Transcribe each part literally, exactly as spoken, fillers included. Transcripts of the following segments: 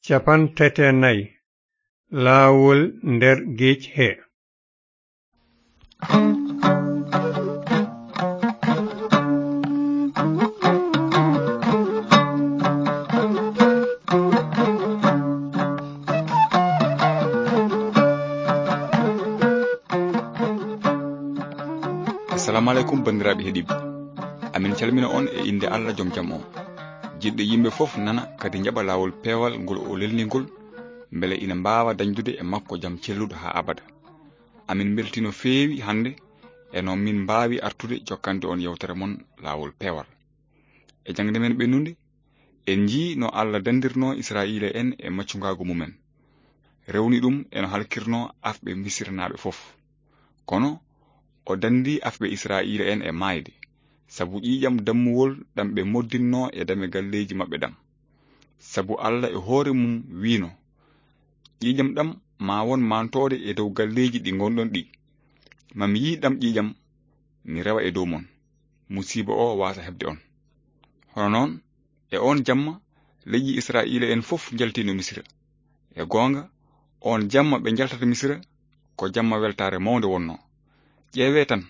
Cappanɗe tati e nayi. Laawol nder geec he. Assalamu aleykum, banndiraaɓe heɗiiɓe. Amin calmina on e innde Allah jom jam on. Jiɗɗo yimɓe fof nana kadi njaɓa laawol peewal ngol o lelni ngol, mbele ina mbaawa dañdude e makko jam celluɗo haa abada. Amin mbeltii no feewi hannde e no min mbaawi artude jokkande on yewtere mon laawol peewal. E jaŋde men ɓennunde, en njii no Allah dandirnoo Israa'iila en e maccungaagu mumen. Rewni ɗum e no halkirnoo afɓe Misiranaaɓe fof. Kono o dandii afɓe Israa'iila en e maayde, sabu ƴiiƴam dammuwol ɗam ɓe moddinnoo e dame galleeji maɓɓe ɗam. Sabu Allah e hoore mum wiino, "Ƴiiƴam ɗam maa won maantoode e dow galleeji ɗi ngonɗon ɗi. Ma mi yii ɗam ƴiiƴam, mi rewa e dow mon. Musiiba o waasa heɓde on." Hono noon, e oon jamma, leƴƴi Israa'iila en fof njaltiino Misira. E goonga, oon jamma ɓe njaltata Misira, ko jamma weltaare mawnde wonnoo. Ƴeewee tan,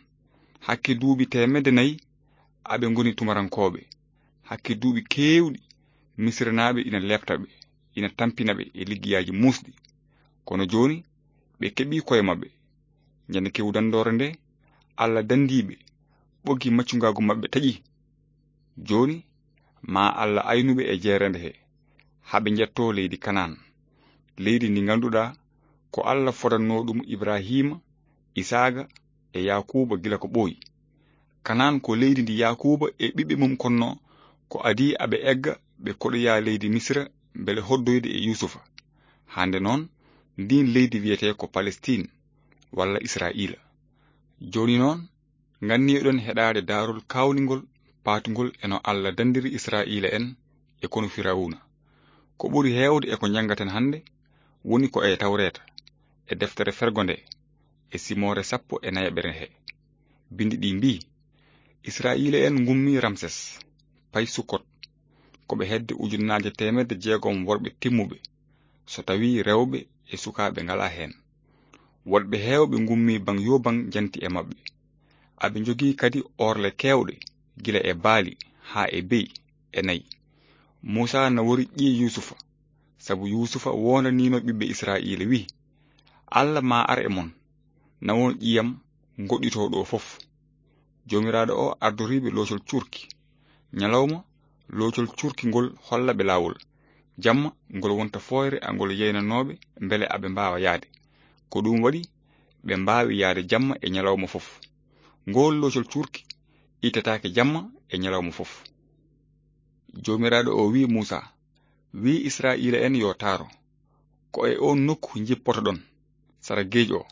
hakke duuɓi teemedde nayi aɓe ngoni tumarankooɓe. Hakke duuɓi keewɗi, Misiranaaɓe ina leepta ɓe, ina tampina ɓe e liggeyaaji muusɗi. Kono jooni, ɓe keɓii koye maɓɓe. Ñande kewu danndoore nde, Allah dandii ɓe, ɓoggi maccungaagu maɓɓe taƴi. Jooni, ma Allah aynu ɓe e jeereende he, haa ɓe njettoo leydi Kanaan, leydi ndi ngannduɗaa ko Allah fodannoo ɗum Ibrahiima, Isaaqa e Yaakuuba gila ko ɓooyi. Kanaan ko leydi ndi Yaakuuba e ɓiɓɓe mum konnoo ko adii aɓe egga ɓe koɗoya leydi Misira mbele hoddoyde e Yuusufa. Hannde noon, ndiin leydi wiyetee ko Palestiin walla Israa'iila. Jooni noon, nganniyoɗon heɗaade daarol kaawningol paatungol e no Allah dandiri Israa'iila en e konu Firawuna. Ko ɓuri heewde e ko njanngaten hannde woni ko e Tawreeta, e deftere fergo nde, e simoore sappo e nayaɓere he. Binndi ɗi mbii, Israa'iila en ngummi Ramses, pay Sukkot, ko ɓe hedde ujunnaaje teemedde jeegom worɓe timmuɓe, so tawii rewɓe e sukaaɓe ngalaa heen. Woɗɓe heewɓe ngummi baŋ yoo baŋ njanti e maɓɓe. Aɓe njogii kadi orle keewɗe, gila e baali haa e beyi e nayi. Muusaa nawori ƴiye Yuusufa, sabu Yuusufa woondaniino ɓiɓɓe Israa'iila, wi'i, "Allah ma ar e mon, nawon ƴiyam ngoɗɗitoo ɗo fof." Joomiraaɗo o ardoriiɓe loocol cuurki. Ñalawma, loocol cuurki ngol holla ɓe laawol. Jamma, ngol wonta fooyre angol yeynanooɓe mbele aɓe mbaawa yahde. Ko ɗum waɗi ɓe mbaawi yahde jamma e ñalawma fof. Ngool loocol cuurki ittataake jamma e ñalawma fof. Joomiraaɗo o wi'i Muusaa, wi'i Israa'iila en yo taaro. Ko e oon nokku njippotoɗon, sara geej o.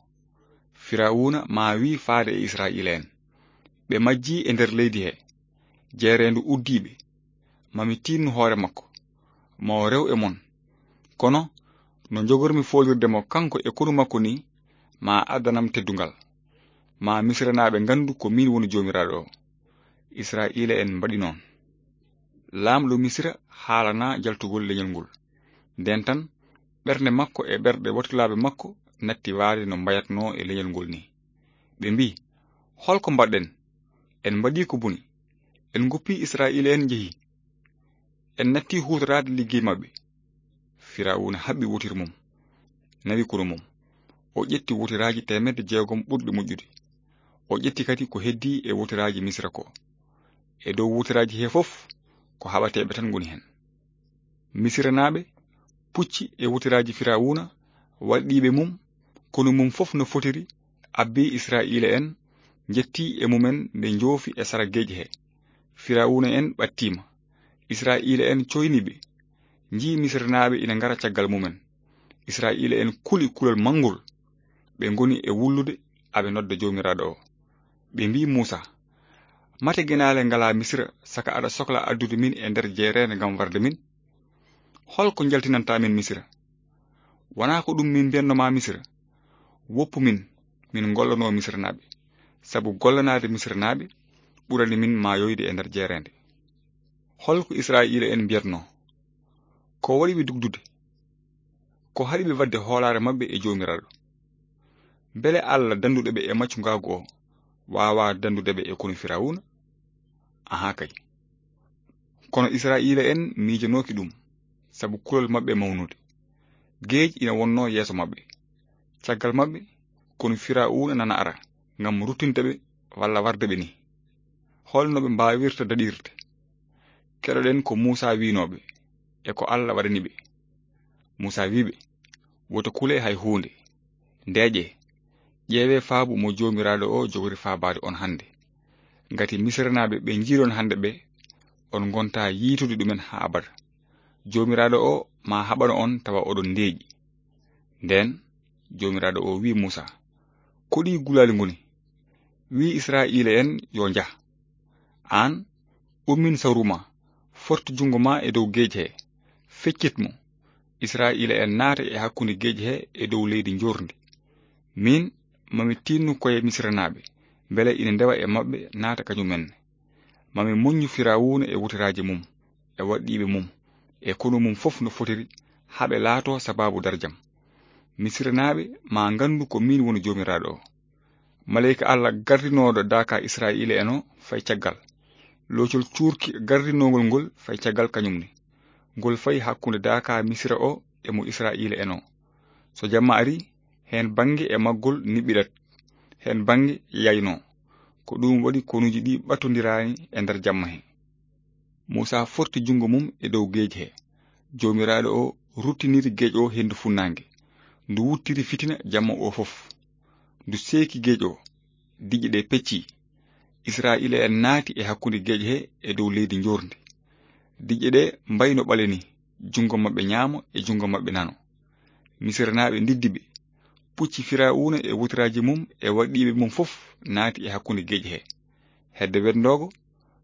Firawuna ma wi'i faade e Israa'iila en. Ɓe majjii e nder leydi he. Jeereendu uddii ɓe. Ma mi tiinnu hoore makko. Ma o rew e mon. Kono no njogormi foolirde mo kanko e konu makko ni, ma addanam teddungal. Ma Misiranaaɓe nganndu ko miin woni Joomiraaɗo o. Israa'iila en mbaɗi noon. Laamɗo Misira haalanaa jaltugol leñol ngol. Ndeen tan, ɓernde makko e ɓerɗe wakkilaaɓe makko natti waade no mbayatnoo e leñol ngol ni. Ɓe mbii, "Hol ko mbaɗɗen? En mbaɗii ko boni. En ngoppii Israa'iila en njehi. En natti huutoraade liggey maɓɓe." Firawuna haɓɓi wotiri mum, nawi konu mum. O ƴetti wotiraaji teemedde jeegom ɓurɗi moƴƴude. O ƴetti kadi ko heddii e wotiraaji Misira ko. E dow wotiraaji he fof, ko haɓateeɓe tan ngoni heen. Misiranaaɓe pucci e wotiraaji Firawuna, walɗiiɓe mum, konu mum fof no fotiri, abbi Israa'iila en, njetti e mumen nde njoofi e sara geej he. Firawuna en ɓattiima. Israa'iila en coyni ɓe. Njii Misiranaaɓe ina ngara caggal mumen. Israa'iila en kuli kulol manngol. Ɓe ngoni e wullude aɓe nodda Joomiraaɗo o. Ɓe mbii Muusaa, "Mate genaale ngalaa Misira, saka aɗa sokla addude min e nder jeereende ngam warde min? Hol ko njaltinanta min Misira? Wonaa ko ɗum min mbiyatno ma Misira? Woppu min, min ngollanoo Misiranaaɓe, sabu gollanaade Misiranaaɓe ɓurani min maayoyde e nder jeereende." Hol ko Israa'iila en mbiyatnoo? Ko waɗi ɓe dugdude? Ko haɗi ɓe waɗde hoolaare maɓɓe e Joomiraaɗo? Mbele Allah dannduɗo ɓe e maccungaagu o waawaa danndude ɓe e konu Firawuna? Ahaa kay. Kono Israa'iila'en miijanooki ɗum, sabu kulol maɓɓe mawnude. Geej ina wonnoo yeeso maɓɓe. Caggal maɓɓe, konu Firawuna nana ara ngam ruttinde ɓe walla warde ɓe ni. Hol no ɓe mbaawirta daɗirde? Keɗoɗen ko Muusaa wiynoo ɓe e ko Allah waɗani ɓe. Muusaa wii ɓe, "Woto kulee hay huunde. Ndeeƴee, ƴeewee faabu mo Joomiraaɗo o jogori faabaade on hannde. Ngati Misiranaaɓe ɓe njiiɗon hannde ɓe, on ngontaa yiitude ɗumen haa abada. Joomiraaɗo o maa haɓano on tawa oɗon ndeeƴi." Ndeen Joomiraaɗo o wii Muusaa, "Ko ɗi gulaali ngoni? Wii Israa'iila'en yo njah. Aan, ummin sawru ma, fortu junngo ma e dow geej he, feccit mo. Israa'iila'en naata e hakkunde geej he e dow leydi njoorndi. Miin, mami tiinnu koye Misiranaaɓe, mbele ina ndewa e maɓɓe naata kañumenne. Mami moññu Firawuna e wotiraaji mum, e waɗɗiiɓe mum, e konu mum fof no fotiri, haa ɓe laatoo sabaabu darjam. Misiranaaɓe maa nganndu ko miin woni Joomiraaɗo o." Maleyka Allah gardinooɗo daaka Israa'iila'en o fay caggal. Loocol cuurki gardinoongol ngol fay caggal kañum ne. Ngol fay hakkunde daaka Misira o e mo Israa'iila'en o. So jamma ari, heen bannge e maggol niɓɓiɗat, heen bannge yaynoo. Ko ɗum waɗi konuuji ɗi ɓattondiraani e nder jamma he. Muusaa forti junngo mum e dow geej he. Joomiraaɗo o ruttiniri geej o henndu funnaange. Ndu wuttiri fitina jamma o fof. Ndu seeki geej o. Diƴƴe ɗe pecci. Israa'iila'en naati e hakkunde geej he e dow leydi njoorndi. Diƴƴe ɗe mbayno ɓale ni, junngo maɓɓe ñaamo e junngo maɓɓe nano. Misiranaaɓe ndiddi ɓe. Pucci Firawuna e wotiraaji mum e waɗɗiiɓe mum fof naati e hakkunde geej he. Hedde weddoogo,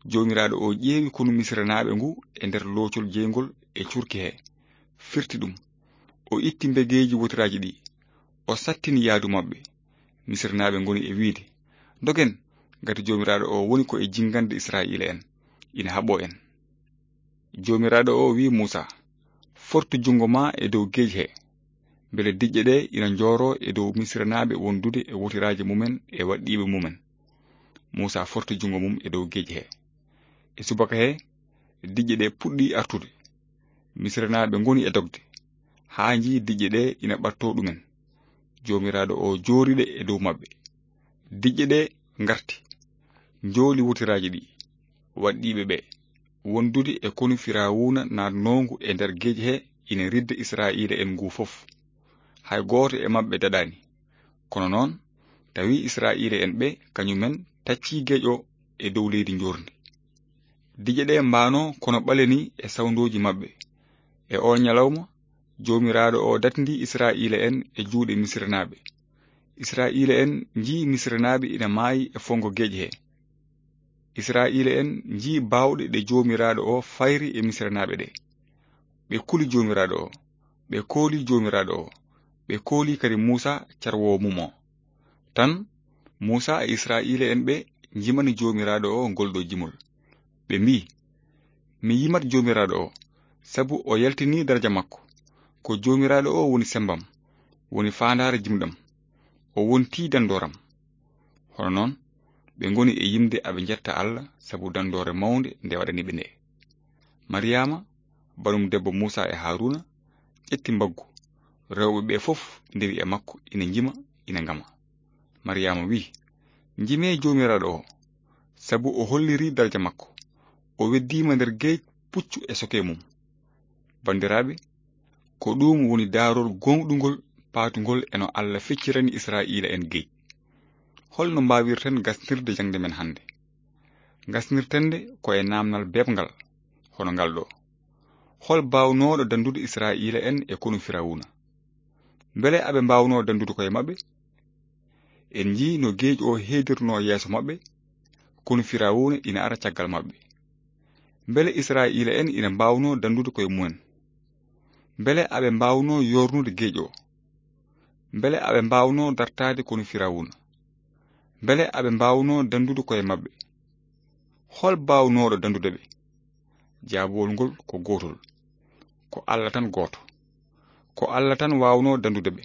Joomiraaɗo o ƴeewi konu Misiranaaɓe ngu e nder loocol jeyngol e cuurki he, firti ɗum. O itti mbegeeji wotiraaji ɗi, o sattini yaadu maɓɓe. Misiranaaɓe ngoni e wiide, "Ndogen, ngati Joomiraaɗo o woni ko e jinngande Israa'iila'en, ina haɓɓoo en." Joomiraaɗo o wi'i Muusaa, "Fortu junngo ma e dow geej he, mbele diƴƴe ɗe ina njooroo e dow Misiranaaɓe wondude e wotiraaji mumen e waɗɗiiɓe mumen." Muusaa forti junngo mum e dow geej he. E subaka he, diƴƴe ɗe puɗɗi artude. Misiranaaɓe ngoni e dogde, haa njii diƴƴe ɗe ina ɓattoo ɗumen. Joomiraaɗo o joori ɗe e dow maɓɓe. Diƴƴe ɗe ngarti, njooli wotiraaji ɗi, waɗɗiiɓe ɓe, wondude e konu Firawuna naatnoongu e nder geej he ina ridda Israa'iila'en ngu fof. Hay gooto e maɓɓe daɗaani. Kono noon, tawi Israa'iila'en ɓe kañumen taccii geej o e dow leydi njoorndi. Diƴƴe ɗe mbaano kono ɓale ni e sawndooji maɓɓe. E oo ñalawma, Joomiraaɗo o datndi Israa'iila'en e juuɗe Misiranaaɓe. Israa'iila'en njii Misiranaaɓe ina maayi e fonngo geej he. Israa'iila'en njii baawɗe ɗe Joomiraaɗo o fayri e Misiranaaɓe ɗe. Ɓe kuli Joomiraaɗo o, ɓe kooli Joomiraaɗo o, ɓe kooli kadi Muusaa carwoowo mum o. Tan, Muusaa e Israa'iila'en ɓe njimani Joomiraaɗo o ngol ɗo jimol. Ɓe mbii, "Mi yimat Joomiraaɗo o, sabu o yaltinii daraja makko. Ko Joomiraaɗo o woni semmbam, woni faandaare jimɗam. O wontii danndooram." Hono noon, ɓe ngoni e yimde aɓe njetta Allah sabu danndoore mawnde nde waɗani ɓe nde. Mariyaama, banum debbo Muusaa e Haaruuna, ƴetti mbaggu. Rewɓe ɓe fof ndewi e makko, ina njima, ina ngama. Mariyaama wi'i, "Njimee Joomiraaɗo o, sabu o hollirii daraja makko. O weddiima nder geej puccu e soke mum." Banndiraaɓe, ko ɗum woni daarol gooŋɗungol paatungol e no Allah feccirani Israa'iila'en geej. Hol no mbaawirten gasnirde jaŋde men hannde? Gasnirten nde ko e naamnal beeɓngal, hono ngal ɗo. Hol baawnooɗo danndude Israa'iila'en e konu Firawuna? Mbele aɓe mbaawnoo danndude koye maɓɓe? En njii no geej o heedirnoo yeeso maɓɓe, konu Firawuna ina ara caggal maɓɓe. Mbele Israa'iila'en ina mbaawnoo danndude koye mumen? Mbele aɓe mbaawnoo yoornude geej o? Mbele aɓe mbaawnoo dartaade konu Firawuna? Mbele aɓe mbaawnoo danndude koye maɓɓe? Hol baawnooɗo danndude ɓe? Jaabowol ngol ko gootol. Ko Allah tan gooto. Ko Alla tan waawnoo dandude ɓe.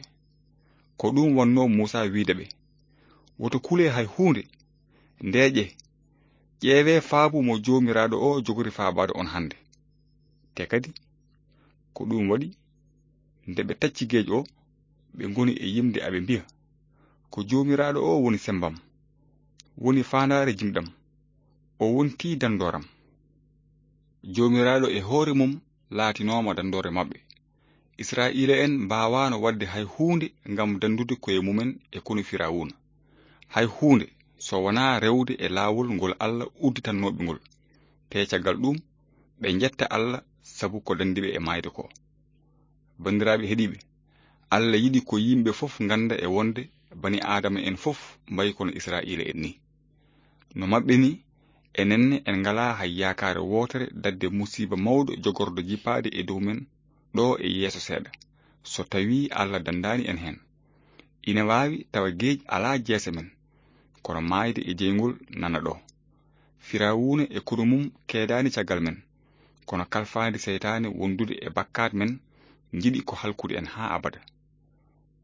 Ko ɗum wonnoo Muusaa wiyde ɓe: "Woto kulee hay huunde. Ndeeƴee, ƴeewee faabu mo Joomiraaɗo o jogori faabaade on hannde." Te kadi, ko ɗum waɗi, nde ɓe tacci geej o, ɓe ngoni e yimde aɓe mbiya: "Ko Joomiraaɗo o woni semmbam, woni faandaare jimɗam, o wontii dandooram." Joomiraaɗo e hoore mum laatinooma dandoore maɓɓe. Israa'iila'en mbaawaano waɗde hay huunde ngam dandude koye mumen e konu Firawuna. Hay huunde, so wonaa rewde e laawol ngol Alla udditannoo ɓe ngol. Te caggal ɗum, ɓe njetta Alla sabu ko dandi ɓe e maayde ko. Banndiraaɓe heɗiiɓe, Alla yiɗi ko yimɓe fof ngannda e wonde bani Aadama en fof mbayi kono Israa'iila'en ni. No maɓɓe ni, enen ne en ngalaa hay yaakaare wootere daɗde musiiba mawɗo jogorɗo jippaade e dow men ɗo e yeeso seeɗa, so tawii Alla dandaani en heen. Ina waawi tawa geej alaa jeese men, kono maayde e jeyngol nana ɗo. Firawuna e konu mum keedaani caggal men, kono kalfaandi seytaane wondude e bakkaat men njiɗi ko halkude en haa abada.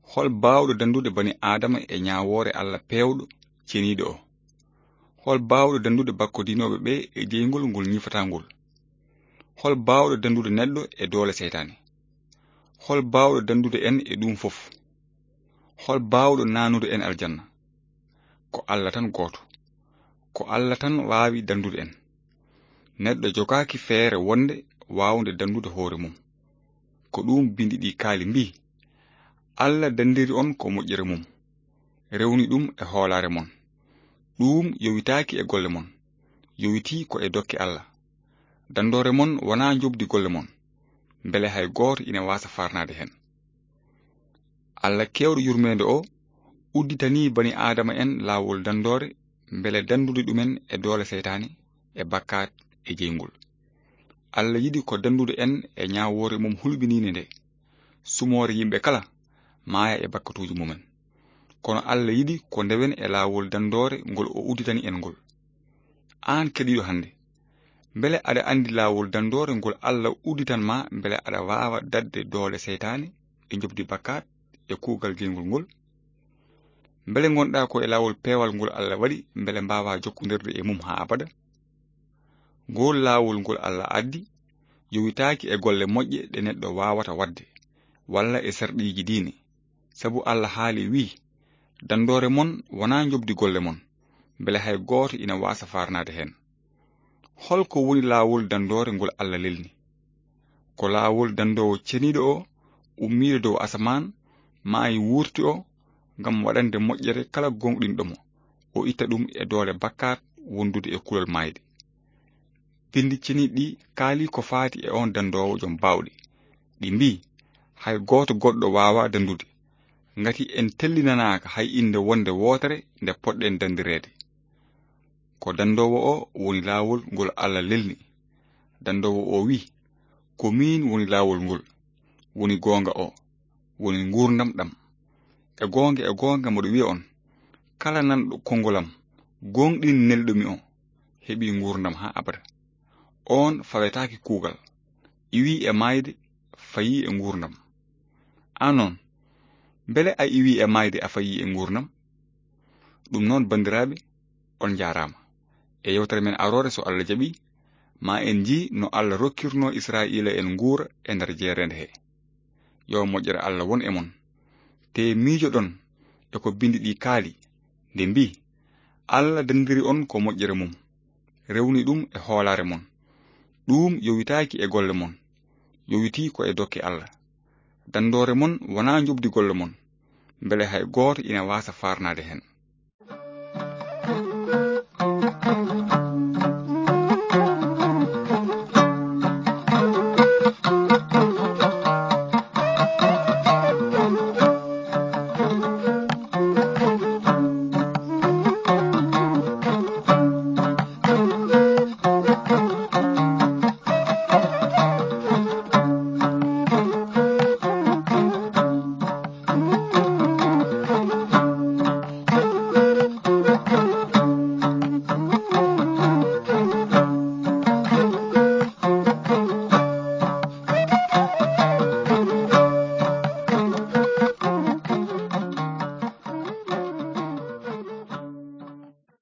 Hol baawɗo dandude bani Aadama e ñaawoore Alla peewɗo, ceniiɗo o? Hol baawɗo dandude bakkodinooɓe ɓe e jeyngol ngol ñifataa ngol? Hol baawɗo dandude neɗɗo e doole seytaane? Hol baawɗo dandude en e ɗum fof? Hol baawɗo naanude en aljanna? Ko Alla tan gooto. Ko Alla tan waawi dandude en. Neɗɗo jogaaki feere wonde waawnde dandude hoore mum. Ko ɗum bindi ɗi kaali mbii: "Alla dandiri on ko moƴƴere mum, rewni ɗum e hoolaare mon. Ɗum yowitaaki e golle mon, yowitii ko e dokke Alla. Dandoore mon wonaa njoɓdi golle mon, mbele hay gooto ina waasa farnaade heen." Alla keewɗo yurmeende o udditanii bani Aadama en laawol dandoore, mbele dandude ɗumen e doole seytaane, e bakkaat, e jeyngol. Alla yiɗi ko dandude en e ñaawoore mum hulɓiniinde nde, sumoore yimɓe kala maaya e bakkatuuji mumen. Kono Alla yiɗi ko ndewen e laawol dandoore ngol o udditani en ngol. Aan keɗiiɗo hannde, mbele aɗa anndi laawol dandoore ngol Alla udditan ma mbele aɗa waawa daɗde doole seytaane e njoɓdi bakkaat e kuugal jeyngol ngol? Mbele ngonɗaa ko e laawol peewal ngol Alla waɗi mbele mbaawaa jokkondirde e mum haa abada? Ngol laawol ngol Alla addi yowitaaki e golle moƴƴe ɗe neɗɗo waawata waɗde, walla e sarɗiiji diine. Sabu Alla haali wii: "Dandoore mon wonaa njoɓdi golle mon, mbele hay gooto ina waasa farnaade heen." Hol ko woni laawol dandoore ngol Alla lelni? Ko laawol dandoowo ceniiɗo o ummiiɗo dow asamaan, maayi wuurti o, ngam waɗande moƴƴere kala gooŋɗinɗo mo, o itta ɗum e doole bakkaat wondude e kulol maayde. Binndi ceniiɗi ɗi kaali ko faati e oon dandoowo jom baawɗe. Ɗi mbii: "Hay gooto goɗɗo waawaa dandude, ngati en tellinanaaka hay innde wonde wootere nde poɗɗen dandireede." Ko dandoowo o woni laawol ngol Alla lelni. Dandoowo o wii: "Ko miin woni laawol ngol, woni goonga o, woni nguurndam ɗam. E goonga, e goonga, mboɗo wiya on, kala nanɗo konngol am, gooŋɗini nelɗo mi o, heɓii nguurndam haa abada. Oon fawetaake kuugal, iwii e maayde, fayii e nguurndam." Aan noon, mbele a iwii e maayde, a fayii e nguurndam? Ɗum noon, banndiraaɓe, on njaaraama. E yewtere men aroore, so Alla jaɓii, ma en njii no Alla rokkirnoo Israa'iila en nguura e nder jeereende he. Yo moƴƴere Alla won e mon. Te miijoɗon e ko binndi ɗi kaali, nde mbii: "Alla dandiri on ko moƴƴere mum, rewni ɗum e hoolaare mon. Ɗum yowitaaki e golle mon, yowitii ko e dokke Alla. Dandoore mon wonaa njoɓdi golle mon, mbele hay gooto ina waasa farnaade heen."